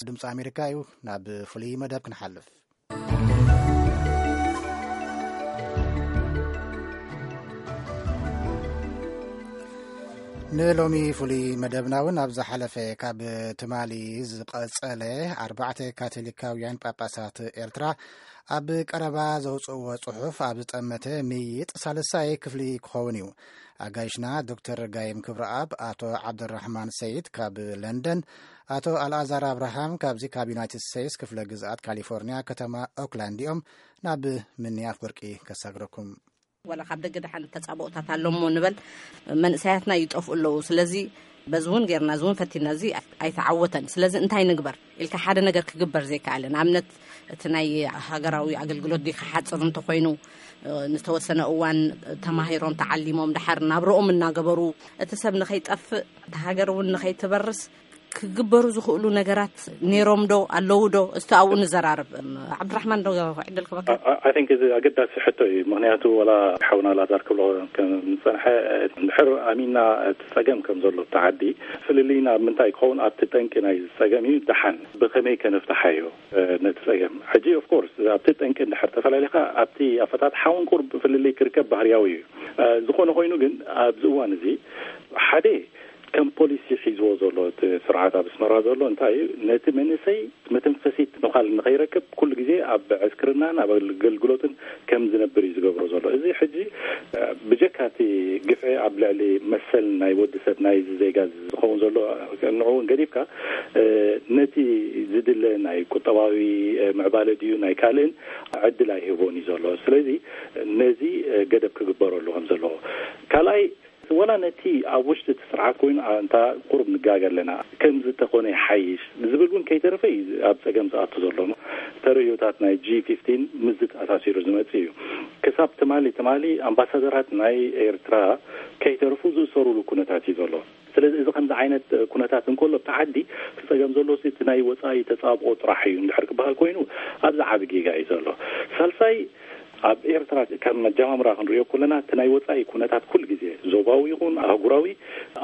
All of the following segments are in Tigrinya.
ድምፂ ኣሜሪካ እዩ። ናብ ፍሉይ መደብ ክንሓልፍ። ንሎሚ ፍሉይ መደብና እውን ኣብ ዝሓለፈ ካብ ትማሊ ዝቐጸለ ኣርባዕተ ካቶሊካውያን ጳጳሳት ኤርትራ ኣብ ቀረባ ዘውፅእዎ ጽሑፍ ኣብ ዝጠመተ ምይይጥ ሳልሳይ ክፍሊ ክኸውን እዩ። ኣጋይሽና ዶክተር ጋይም ክብረኣብ፣ ኣቶ ዓብደራሕማን ሰይድ ካብ ለንደን፣ ኣቶ ኣልኣዛር ኣብርሃም ካብዚ ካብ ዩናይትድ ስቴትስ ክፍለ ግዝኣት ካሊፎርኒያ ከተማ ኦክላንድ እዮም። ናብ ምኒ ኣፍወርቂ ከሳግረኩም። ዋላ ካብ ደገ ደሓን ተጻብኦታት ኣሎ እሞ ንበል፣ መንእሰያትና ይጠፍኡ ኣለዉ። ስለዚ በዚ እውን ጌርና፣ እዚ እውን ፈቲና፣ እዚ ኣይተዓወተን። ስለዚ እንታይ ንግበር ኢልካ ሓደ ነገር ክግበር ዘይከኣለ፣ ንኣብነት እቲ ናይ ሃገራዊ ኣገልግሎት ዲካ ሓጽር እንተኾይኑ፣ ንተወሰነ እዋን ተማሂሮም ተዓሊሞም ድሓር ናብርኦም እናገበሩ፣ እቲ ሰብ ንኸይጠፍእ፣ እቲ ሃገር እውን ንኸይትበርስ ክግበሩ ዝኽእሉ ነገራት ነይሮም ዶ ኣለዉ ዶ? እስቲ ኣብኡ ንዘራርብ። ዓብድራሕማን ዶ ዕድል ክበካ? I think እዚ ኣገዳሲ ሕቶ እዩ። ምክንያቱ ወላ ሓውና ላዛር ክብሎ ከም ዝጸንሐ፣ እንድሕር ኣሚና እቲ ጸገም ከም ዘሎ ኣብቲ ዓዲ፣ ፍልልይና ኣብ ምንታይ ክኸውን ኣብቲ ጠንቂ ናይ ጸገም እዩ። ደሓን ብኸመይ ከነፍትሓዮ ነቲ ጸገም? ሕጂ ኦፍኮርስ ኣብቲ ጠንቂ እንድሕር ተፈላለኻ ኣብቲ ኣፈታትሓ እውን ቁርብ ፍልልይ ክርከብ ባህርያዊ እዩ። ዝኾነ ኮይኑ ግን ኣብዚ እዋን እዚ ሓደ ከም ፖሊሲ ሒዝዎ ዘሎ እቲ ስርዓት ኣብ ኣስመራ ዘሎ እንታይ እዩ? ነቲ መንእሰይ መተንፈሲት ምዃል ንኸይረክብ ኩሉ ግዜ ኣብ ዕስክርናን ኣብ ኣገልግሎትን ከም ዝነብር እዩ ዝገብሮ ዘሎ። እዚ ሕጂ ብጀካ እቲ ግፍዒ ኣብ ልዕሊ መሰል ናይ ወዲ ሰብ ናይ ዜጋ ዝኸውን ዘሎ ንዕኡ እውን ገዲፍካ ነቲ ዝድለ ናይ ቁጠባዊ ምዕባለ ድዩ ናይ ካልእን ዕድል ኣይህቦን እዩ ዘሎ። ስለዚ ነዚ ገደብ ክግበረሉ ከም ዘለዎ ካልኣይ ወላ ነቲ ኣብ ውሽጢ እቲ ስርዓት ኮይኑ እንታ ቁሩብ ንጋገ ኣለና ከምዚ ተኾነ ይሓይሽ ዝብል እውን ከይተረፈ እዩ ኣብ ጸገም ዝኣቱ ዘሎ። ተርእዮታት ናይ ጂ ፊፍቲን ምስዚ ተኣሳሲሩ ዝመጽእ እዩ። ክሳብ ትማሊ ትማሊ ኣምባሳደራት ናይ ኤርትራ ከይተረፉ ዝእሰሩሉ ኩነታት እዩ ዘሎ። ስለዚ እዚ ከምዚ ዓይነት ኩነታት እንከሎ ኣብቲ ዓዲ እቲ ጸገም ዘሎ እቲ ናይ ወጻኢ ተጻብኦ ጥራሕ እዩ እንድሕር ክበሃል ኮይኑ ኣብዚ ዓቢ ጌጋ እዩ ዘሎ። ሳልሳይ ኣብ ኤርትራ ካብ መጀማምራ ክንሪኦ ከለና እቲ ናይ ወጻኢ ኩነታት ኩሉ ግዜ ዞባዊ ይኹን ኣህጉራዊ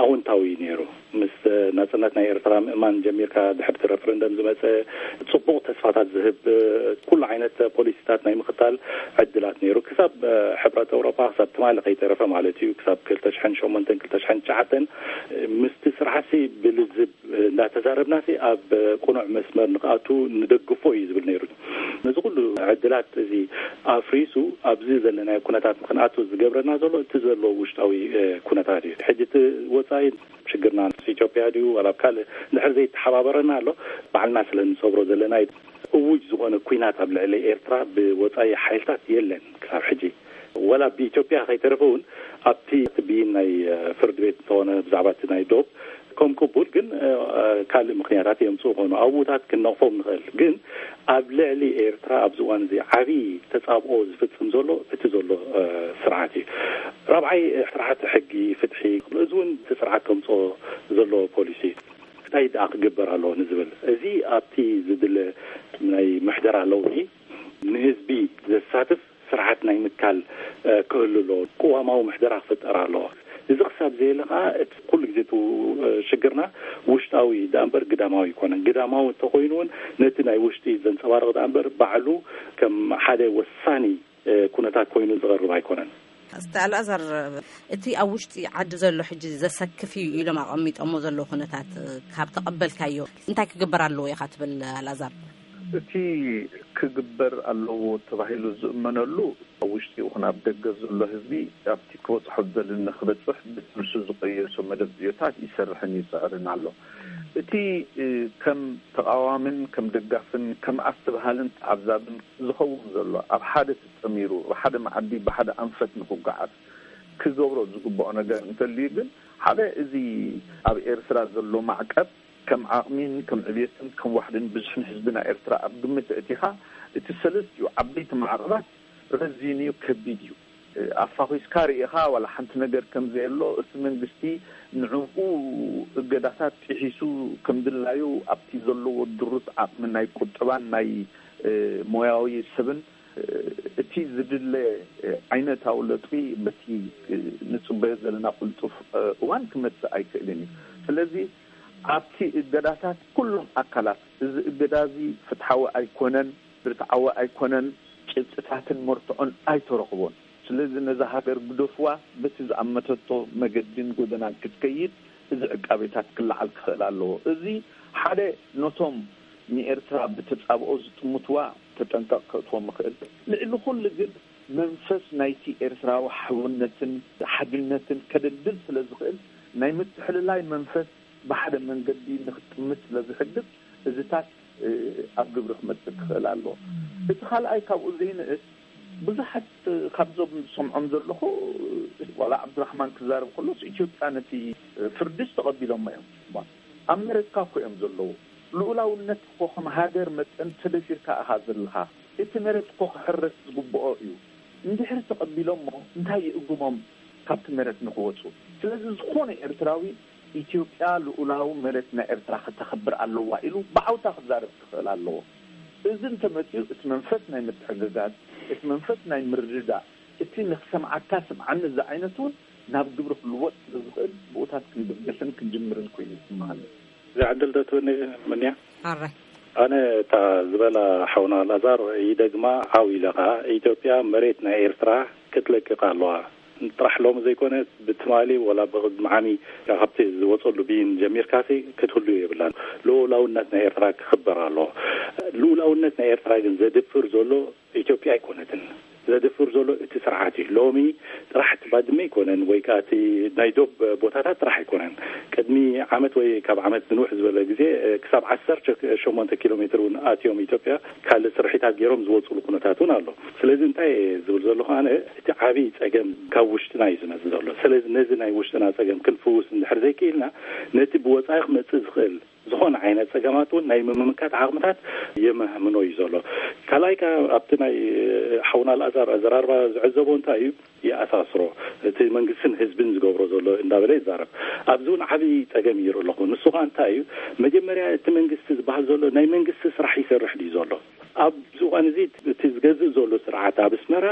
ኣወንታዊ እዩ ነይሩ። ምስ ናጽነት ናይ ኤርትራ ምእማን ጀሚርካ ድሕርቲ ረፈረንደም ዝመጸ ጽቡቕ ተስፋታት ዝህብ ኩሉ ዓይነት ፖሊሲታት ናይ ምኽታል ዕድላት ነይሩ። ክሳብ ሕብረት ኤውሮጳ ክሳብ ትማሊ ከይተረፈ ማለት እዩ ክሳብ ክልተ ሽሕን ሸሞንተን ክልተ ሽሕን ትሽዓተን ምስቲ ስርዓትሲ ብልዝብ እንዳተዛረብናሲ ኣብ ቅኑዕ መስመር ንክኣቱ ንደግፎ እዩ ዝብል ነይሩ። ነዚ ኩሉ ዕድላት እዚ ኣፍሪሱ ኣብዚ ዘለናዮ ኩነታት ንክንኣቱ ዝገብረና ዘሎ እቲ ዘሎ ውሽጣዊ ኩነታት እዩ። ሕጂ እቲ ወፃኢ ሽግርና ኢትዮጵያ ድዩ ዋላ ኣብ ካልእ እንድሕር ዘይተሓባበረና ኣሎ ባዕልና ስለ ንሰብሮ ዘለና እዩ። እውጅ ዝኾነ ኲናት ኣብ ልዕሊ ኤርትራ ብወፃኢ ሓይልታት የለን ክሳብ ሕጂ። ወላ ብኢትዮጵያ ከይተረፈ እውን ኣብቲ ብይን ናይ ፍርድ ቤት እንተኾነ ብዛዕባ እቲ ናይ ዶብ ከም ቅቡል ግን ካልእ ምኽንያታት የምፅኡ ኾኑ ኣብኡታት ክንነቕፎም ንኽእል ግን ኣብ ልዕሊ ኤርትራ ኣብዚ እዋን እዚ ዓብዪ ተፃብኦ ዝፍፅም ዘሎ እቲ ዘሎ ስርዓት እዩ። ራብዓይ ስርዓት ሕጊ ፍትሒ እዚ እውን እቲ ስርዓት ከምፅኦ ዘለዎ ፖሊሲ እንታይ ደኣ ክግበር ኣለዎ ንዝብል እዚ ኣብቲ ዝድለ ናይ ምሕደራ ለውጢ ንህዝቢ ዘሳትፍ ስርዓት ናይ ምትካል ክህሉ ኣለዎ። ቅዋማዊ ምሕደራ ክፍጠር ኣለዎ። እዚ ክሳብ ዘየለ ከዓ እቲ ኩሉ ግዜ እቲ ሽግርና ውሽጣዊ ደኣ እምበር ግዳማዊ ኣይኮነን። ግዳማዊ እንተኮይኑ እውን ነቲ ናይ ውሽጢ ዘንፀባርቕ ደኣ እምበር ባዕሉ ከም ሓደ ወሳኒ ኩነታት ኮይኑ ዝቐርብ ኣይኮነን። ኣስተ ኣልኣዛር እቲ ኣብ ውሽጢ ዓዲ ዘሎ ሕጂ ዘሰክፍ እዩ ኢሎም ኣቐሚጦሞ ዘለዉ ኩነታት ካብ ተቐበልካዮ እንታይ ክግበር ኣለዎ ኢኻ ትብል ኣልኣዛር? እቲ ክግበር ኣለዎ ተባሂሉ ዝእመነሉ ኣብ ውሽጢ ይኹን ኣብ ደገ ዘሎ ህዝቢ ኣብቲ ክበፅሖ ዝደሊ ንክበፅሕ ብፅንሱ ዝቀየሶ መደብ ዕዮታት ይሰርሕን ይፅዕርን ኣሎ። እቲ ከም ተቃዋምን ከም ደጋፍን ከም ኣስተብሃልን ተዓዛብን ዝኸውን ዘሎ ኣብ ሓደ ተጠሚሩ ብሓደ መዓዲ ብሓደ ኣንፈት ንክጓዓዝ ክገብሮ ዝግብኦ ነገር እንተልዩ ግን ሓደ እዚ ኣብ ኤርትራ ዘሎ ማዕቀብ ከም ዓቕሚን ከም ዕብየትን ከም ዋሕድን ብዝሕን ህዝቢ ናይ ኤርትራ ኣብ ግምት ኣእቲኻ እቲ ሰለስቲኡ ዓበይቲ ማዕቐባት ረዚን እዩ፣ ከቢድ እዩ። ኣፋኺስካ ርኢኻ ዋላ ሓንቲ ነገር ከም ዘየሎ እቲ መንግስቲ ንዕኡ እገዳታት ጥሒሱ ከም ድላዩ ኣብቲ ዘለዎ ድሩት ዓቕሚ ናይ ቁጠባን ናይ ሞያዊ ሰብን እቲ ዝድለ ዓይነታዊ ለውጢ በቲ ንጽበዮ ዘለና ቅልጡፍ እዋን ክመጽእ ኣይክእልን እዩ። ስለዚ ኣብቲ እገዳታት ኩሎም ኣካላት፣ እዚ እገዳ እዚ ፍትሓዊ ኣይኮነን፣ ርትዓዊ ኣይኮነን፣ ጭብጥታትን መርትዖን ኣይተረኽቦን። ስለዚ ነዛ ሃገር ግደፍዋ፣ በቲ ዝኣመተቶ መገድን ጎደናን ክትከይድ እዚ ዕቃቤታት ክለዓል ክኽእል ኣለዎ። እዚ ሓደ ነቶም ንኤርትራ ብተጻብኦ ዝጥምትዋ ተጠንቀቕ ከእትዎም ይኽእል። ልዕሊ ኩሉ ግን መንፈስ ናይቲ ኤርትራዊ ሕውነትን ሓድነትን ከደልድል ስለ ዝኽእል ናይ ምትሕልላይ መንፈስ ብሓደ መንገዲ ንክጥምት ስለ ዝሕግዝ እዚታት ኣብ ግብሪ ክመጽእ ክኽእል ኣለዎ። እቲ ካልኣይ ካብኡ ዘይንእስ ብዙሓት ካብዞም ዝሰምዖም ዘለኹ ዋላ ዓብዱራሕማን ክዛረብ ከሎስ ኢትዮጵያ ነቲ ፍርድስ ተቐቢሎሞ እዮም። ኣብ መሬትካ እኮ እዮም ዘለዉ። ልኡላውነት እኮ ከም ሃገር መጠን ተደፊርካ ኢኻ ዘለኻ። እቲ መሬት እኮ ክሕረስ ዝግብኦ እዩ። እንድሕር ተቐቢሎሞ እንታይ ይእግሞም ካብቲ መሬት ንክወፁ? ስለዚ ዝኾነ ኤርትራዊ ኢትዮጵያ ልኡላዊ መሬት ናይ ኤርትራ ከተኽብር ኣለዋ ኢሉ ብዓውታ ክዛረብ ክኽእል ኣለዎ። እዚ እንተመፂኡ እቲ መንፈስ ናይ ምትሕግጋዝ፣ እቲ መንፈስ ናይ ምርድዳእ፣ እቲ ንክሰምዓካ ስምዓኒ ዝዓይነቱ እውን ናብ ግብሪ ክልወጥ ስለ ዝኽእል ብኡታት ክንብገስን ክንጅምርን ኮይኑ ይስምዓኒ። ዝዕድል ዶ ትብኒ ምንያ? ኣረ ኣነ እታ ዝበላ ሓውና ላዛር ይደግማ ዓው ኢለ ኸዓ ኢትዮጵያ መሬት ናይ ኤርትራ ክትለቅቕ ኣለዋ። ጥራሕ ሎሚ ዘይኮነ ብትማሊ ወላ ብቕድሚ ዓሚ ካብቲ ዝወፀሉ ብይን ጀሚርካሲ ክትህሉ የብላን። ልኡላውነት ናይ ኤርትራ ክኽበር ኣለዎ። ልኡላውነት ናይ ኤርትራ ግን ዘድፍር ዘሎ ኢትዮጵያ ኣይኮነትን። ዘድፍር ዘሎ እቲ ስርዓት እዩ። ሎሚ ጥራሕ እቲ ባድመ ኣይኮነን ወይ ከዓ እቲ ናይ ዶብ ቦታታት ጥራሕ ኣይኮነን። ቅድሚ ዓመት ወይ ካብ ዓመት ዝንውሕ ዝበለ ግዜ ክሳብ ዓሰርተ ሸሞንተ ኪሎ ሜትር እውን ኣትዮም ኢትዮጵያ ካልእ ስርሒታት ገይሮም ዝወፅሉ ኩነታት እውን ኣሎ። ስለዚ እንታይ ዝብል ዘለኹ ኣነ እቲ ዓብዪ ፀገም ካብ ውሽጥና እዩ ዝመፅእ ዘሎ። ስለዚ ነዚ ናይ ውሽጥና ፀገም ክንፍውስ እንድሕር ዘይክኢልና ነቲ ብወፃኢ ክመፅእ ዝኽእል ዝኾነ ዓይነት ፀገማት እውን ናይ ምምካት ዓቕምታት የመህምኖ እዩ ዘሎ። ካልኣይ ከ ኣብቲ ናይ ሓውና ኣልኣዛር ኣዘራርባ ዝዕዘቦ እንታይ እዩ ይኣሳስሮ። እቲ መንግስትን ህዝብን ዝገብሮ ዘሎ እንዳበለ ይዛረብ። ኣብዚ እውን ዓብዪ ፀገም ይርኢ ኣለኹ። ንሱ ኸ እንታይ እዩ? መጀመርያ እቲ መንግስቲ ዝበሃል ዘሎ ናይ መንግስቲ ስራሕ ይሰርሕ ድዩ ዘሎ? ኣብዚ እዋን እዚ እቲ ዝገዝእ ዘሎ ስርዓት ኣብ ኣስመራ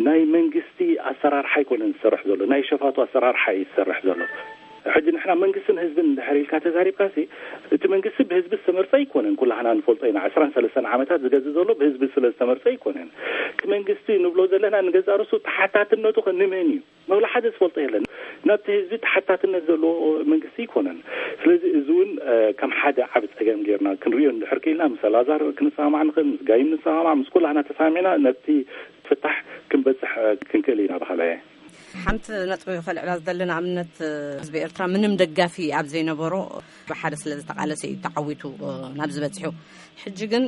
ናይ መንግስቲ ኣሰራርሓ ኣይኮነን ዝሰርሕ ዘሎ፣ ናይ ሸፋቱ ኣሰራርሓ እዩ ዝሰርሕ ዘሎ። ሕጂ ንሕና መንግስትን ህዝብን እንድሕር ኢልካ ተዛሪብካሲ እቲ መንግስቲ ብህዝቢ ዝተመርፀ ኣይኮነን። ኩላህና ንፈልጦ ኢና። ዕስራን ሰለስተን ዓመታት ዝገዝእ ዘሎ ብህዝቢ ስለ ዝተመርፀ ኣይኮነን። እቲ መንግስቲ ንብሎ ዘለና ንገዛእ ርእሱ ተሓታትነቱ ከ ንመን እዩ? መብላ ሓደ ዝፈልጦ የለን። ናብቲ ህዝቢ ተሓታትነት ዘለዎ መንግስቲ ኣይኮነን። ስለዚ እዚ እውን ከም ሓደ ዓብ ፀገም ጌርና ክንሪኦ እንድሕር ክኢልና ምስ ኣላዛር ክንሰማማዕ ንኽእል፣ ምስ ጋይም ንሰማማዕ፣ ምስ ኩላህና ተሰማሚዕና ነቲ ፍታሕ ክንበፅሕ ክንክእል ኢና ብኻልኣየ። ሓንቲ ነጥቢ ከልዕላ ዝደሊ ንኣብነት ህዝቢ ኤርትራ ምንም ደጋፊ ኣብ ዘይነበሮ ብሓደ ስለ ዝተቓለሰ እዩ ተዓዊቱ ናብ ዝበፅሑ። ሕጂ ግን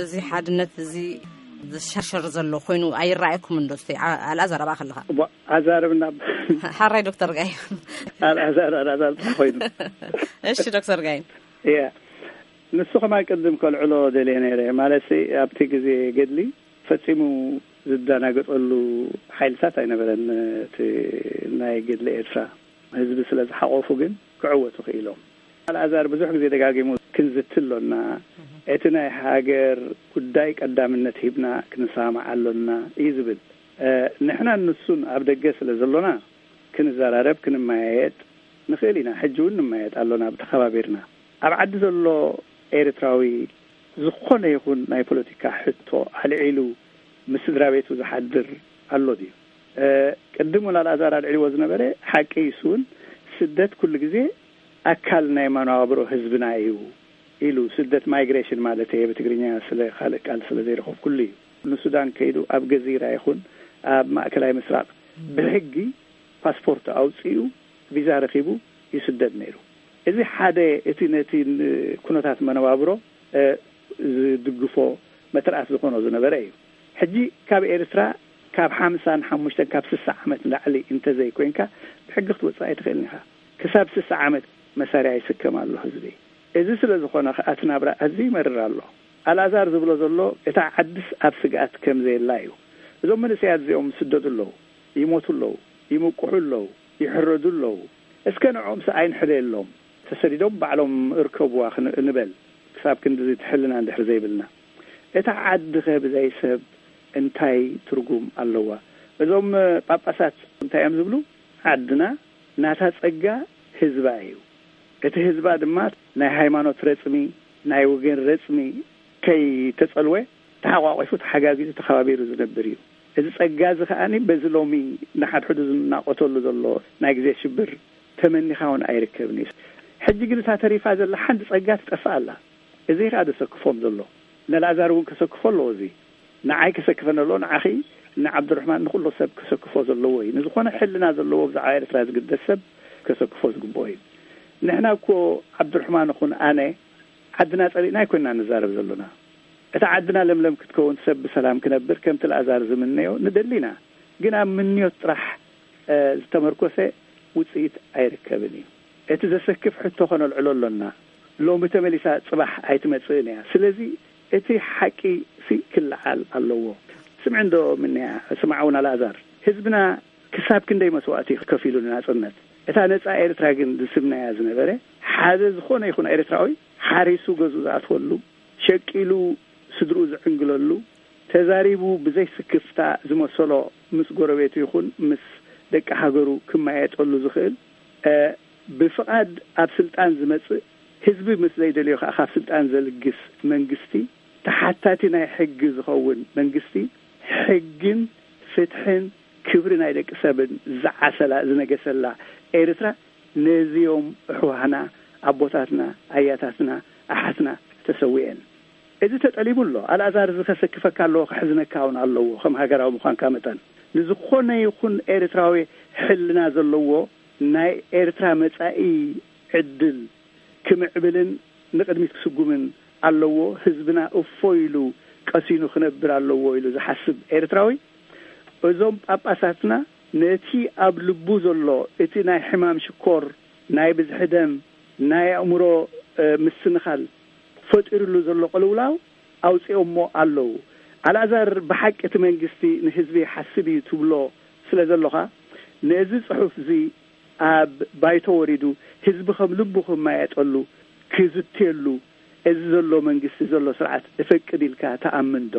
እዚ ሓድነት እዚ ዝሸርሸር ዘሎ ኮይኑ ኣይረኣየኩም እንዶ? እስቲ ኣልኣዛር ኣብኣ ከለኻ። ኣዛርብና። ሓራይ ዶክተር ጋይ። ኣልኣዛር ኣልኣዛር ጥራሕ ኮይኑ። እሺ ዶክተር ጋይ። እያ፣ ንሱ ከማን ቅድም ከልዕሎ ደልየ ነይረ። ማለት ኣብቲ ግዜ ገድሊ ፈጺሙ ዝደናገጠሉ ሓይልታት ኣይነበረን። እቲ ናይ ገድሊ ኤርትራ ህዝቢ ስለ ዝሓቆፉ ግን ክዕወቱ ክኢሎም። ኣልኣዛር ብዙሕ ግዜ ደጋጊሙ ክንዝቲ ኣሎና፣ እቲ ናይ ሃገር ጉዳይ ቀዳምነት ሂብና ክንሰማማዕ ኣሎና እዩ ዝብል። ንሕናን ንሱን ኣብ ደገ ስለ ዘሎና ክንዘራረብ ክንመያየጥ ንኽእል ኢና። ሕጂ እውን ንመያየጥ ኣሎና ተኸባቢርና። ኣብ ዓዲ ዘሎ ኤርትራዊ ዝኾነ ይኹን ናይ ፖለቲካ ሕቶ ኣልዒሉ ምስ ስድራ ቤቱ ዝሓድር ኣሎ ድዩ? ቅድም እውን ኣልኣዛር ኣልዒልዎ ዝነበረ ሓቂ እዩ። እሱ እውን ስደት ኩሉ ግዜ ኣካል ናይ መነባብሮ ህዝብና እዩ ኢሉ፣ ስደት ማይግሬሽን ማለት እየ ብትግርኛ፣ ስለ ካልእ ቃል ስለ ዘይረኸብኩሉ እዩ። ንሱዳን ከይዱ ኣብ ገዚራ ይኹን ኣብ ማእከላይ ምስራቕ ብሕጊ ፓስፖርት ኣውጺኡ ቪዛ ረኺቡ ይስደድ ነይሩ። እዚ ሓደ እቲ ነቲ ኩነታት መነባብሮ ዝድግፎ መትርኣስ ዝኾኖ ዝነበረ እዩ። ሕጂ ካብ ኤርትራ ካብ ሓምሳን ሓሙሽተን ካብ ስሳ ዓመት ንላዕሊ እንተዘይኮይንካ ብሕጊ ክትወፅእ ኣይትኽእልን ኢኻ። ክሳብ ስሳ ዓመት መሳርያ ይስከም ኣሎ ህዝቢ። እዚ ስለ ዝኾነ ከኣ እቲ ናብራ ኣዝዩ ይመርር ኣሎ። ኣልኣዛር ዝብሎ ዘሎ እታ ዓድስ ኣብ ስግኣት ከም ዘየላ እዩ። እዞም መንእሰያት እዚኦም ይስደዱ ኣለዉ፣ ይሞቱ ኣለዉ፣ ይምቁሑ ኣለዉ፣ ይሕረዱ ኣለዉ። እስከ ንዕኦምስ ኣይንሕለየሎም። ተሰዲዶም ባዕሎም እርከብዋ ክን- ንበል። ክሳብ ክንድዚ ትሕልና እንድሕር ዘይብልና እታ ዓዲ ኸ ብዘይ ሰብ እንታይ ትርጉም ኣለዋ? እዞም ጳጳሳት እንታይ እዮም ዝብሉ? ዓድና ናታ ጸጋ ህዝባ እዩ። እቲ ህዝባ ድማ ናይ ሃይማኖት ረጽሚ፣ ናይ ወገን ረጽሚ ከይተጸልወ ተሓቋቂፉ፣ ተሓጋጊዙ፣ ተኸባቢሩ ዝነብር እዩ። እዚ ጸጋ እዚ ከኣኒ በዚ ሎሚ ንሓድሕዱ ዝናቆተሉ ዘሎ ናይ ግዜ ሽብር ተመኒኻ እውን ኣይርከብን እዩ። ሕጂ ግን እታ ተሪፋ ዘላ ሓንቲ ጸጋ ትጠፍእ ኣላ። እዚ ከኣ ዘሰክፎም ዘሎ። ነልኣዛር እውን ከሰክፎ ኣለዎ። እዚ ንዓይ ከሰክፈን ኣለዎ፣ ንዓኺ፣ ንዓብዱርሕማን፣ ንኹሉ ሰብ ከሰክፎ ዘለዎ እዩ። ንዝኾነ ሕልና ዘለዎ ብዛዕባ ኤርትራ ዝግደስ ሰብ ከሰክፎ ዝግብኦ እዩ። ንሕና እኮ፣ ዓብዱርሕማን ይኹን ኣነ፣ ዓድና ጸሊእና ኣይኮንና ንዛረብ ዘሎና። እታ ዓድና ለምለም ክትከውን፣ ሰብ ብሰላም ክነብር ከምቲ ኣልኣዛር ዝምነዮ ንደሊ ኢና። ግን ኣብ ምንዮት ጥራሕ፣ እ፣ ዝተመርኮሰ ውጽኢት ኣይርከብን እዩ። እቲ ዘሰክፍ ሕቶ ከነልዕሎ ኣሎና። ሎሚ ተመሊሳ ጽባሕ ኣይትመጽእን እያ። ስለዚ እቲ ሓቂ ሲ ክለዓል ኣለዎ። ስምዕ እንዶ ምንያ፣ ስማዕ እውን ኣልኣዛር። ህዝብና ክሳብ ክንደይ መስዋእቲ ከፊሉ ንናጽነት። እታ ነጻ ኤርትራ ግን ዝስምናያ ዝነበረ፣ ሓደ ዝኾነ ይኹን ኤርትራዊ ሓሪሱ ገዝኡ ዝኣትወሉ፣ ሸቂሉ ስድርኡ ዝዕንግለሉ፣ ተዛሪቡ ብዘይ ስክፍታ ዝመሰሎ ምስ ጎረቤቱ ይኹን ምስ ደቂ ሃገሩ ክመያየጠሉ ዝኽእል፣ እ፣ ብፍቓድ ኣብ ስልጣን ዝመጽእ፣ ህዝቢ ምስ ዘይደልዮ ከኣ ካብ ስልጣን ዘልግስ መንግስቲ፣ ተሓታቲ ናይ ሕጊ ዝኸውን መንግስቲ፣ ሕግን ፍትሕን ክብሪ ናይ ደቂ ሰብን ዝዓሰላ ዝነገሰላ ኤርትራ፣ ነዚኦም ኣሕዋትና፣ ኣቦታትና፣ ኣያታትና፣ ኣሓትና ተሰዊኤን። እዚ ተጠሊሙ ኣሎ። ኣልኣዛር፣ እዚ ከሰክፈካ ኣለዎ፣ ከሕዝነካ እውን ኣለዎ፣ ከም ሃገራዊ ምዃንካ መጠን። ንዝኾነ ይኹን ኤርትራዊ ሕልና ዘለዎ፣ ናይ ኤርትራ መጻኢ ዕድል ክምዕብልን ንቕድሚት ክስጉምን ኣለዎ። ህዝብና እፎ ኢሉ ቀሲኑ ክነብር ኣለዎ ኢሉ ዝሓስብ ኤርትራዊ፣ እዞም ጳጳሳትና ነቲ ኣብ ልቡ ዘሎ፣ እቲ ናይ ሕማም ሽኮር፣ ናይ ብዝሒ ደም፣ ናይ ኣእምሮ፣ እ፣ ምስንኻል ፈጢሩሉ ዘሎ ቅልውላው ኣውጺኦሞ ኣለዉ። ኣልኣዛር፣ ብሓቂ እቲ መንግስቲ ንህዝቢ ይሓስብ እዩ ትብሎ ስለ ዘሎኻ፣ ነዚ ጽሑፍ እዚ ኣብ ባይቶ ወሪዱ ህዝቢ ከም ልቡ ክመያየጠሉ፣ ክዝትየሉ፣ እዚ ዘሎ መንግስቲ፣ ዘሎ ስርዓት እፈቅድ ኢልካ ትኣምን ዶ?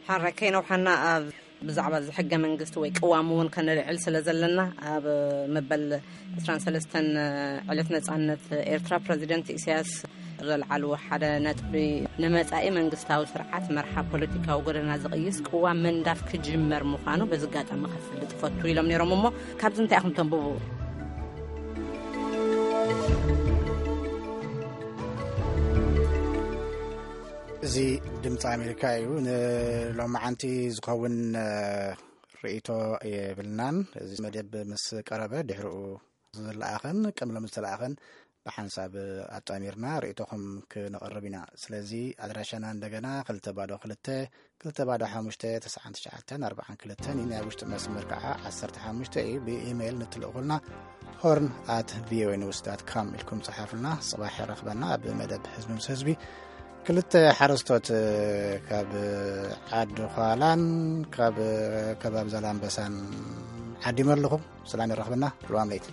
ሓራይ ከይነውሓና ኣብ ብዛዕባ እዚ ሕገ መንግስቲ ወይ ቅዋም እውን ከነልዕል ስለ ዘለና፣ ኣብ መበል ዕስራን ሰለስተን ዕለት ነጻነት ኤርትራ ፕረዚደንት ኢሳያስ ዘልዓልዎ ሓደ ነጥቢ፣ ንመጻኢ መንግስታዊ ስርዓት መርሓ ፖለቲካዊ ጎደና ዝቕይስ ቅዋም ምንዳፍ ክጅመር ምዃኑ በዚ ኣጋጣሚ ከፍልጥ እፈቱ ኢሎም ነይሮም። እሞ ካብዚ እንታይ ኢኹም ተንብቡ? እዚ ድምፂ ኣሜሪካ እዩ። ንሎማዓንቲ ዝኸውን፣ እ፣ ርእይቶ የብልናን። እዚ መደብ ምስ ቀረበ ድሕሪኡ ዝለኣኸን ቅድሚ ሎሚ ዝተለኣኸን ብሓንሳብ ኣጣሚርና ርእይቶኹም ክነቕርብ ኢና። ስለዚ ኣድራሻና እንደገና ክልተ ባዶ ክልተ፣ ክልተ ባዶ ሓሙሽተ፣ ተስዓን ትሽዓተን ኣርባዓን ክልተን እዩ። ናይ ውሽጢ መስመር ከዓ ዓሰርተ ሓሙሽተ እዩ። ብኢሜይል ንትልእኹልና ሆርን ኣት ቪኦኤ ኒውስ ዳት ካም ኢልኩም ጸሓፉልና። ጽባሕ የራኽበና ኣብ መደብ ህዝቢ ምስ ህዝቢ። ክልተ ሓረስቶት ካብ ዓዲ ዃላን ካብ ከባቢ ዛላምበሳን ዓዲመ ኣለኹ። ሰላም የራኽበና። ርዋም ለይቲ።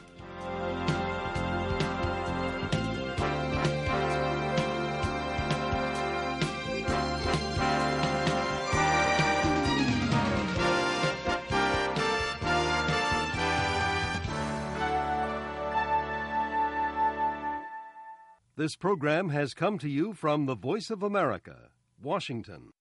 This program has come to you from the Voice of America, Washington.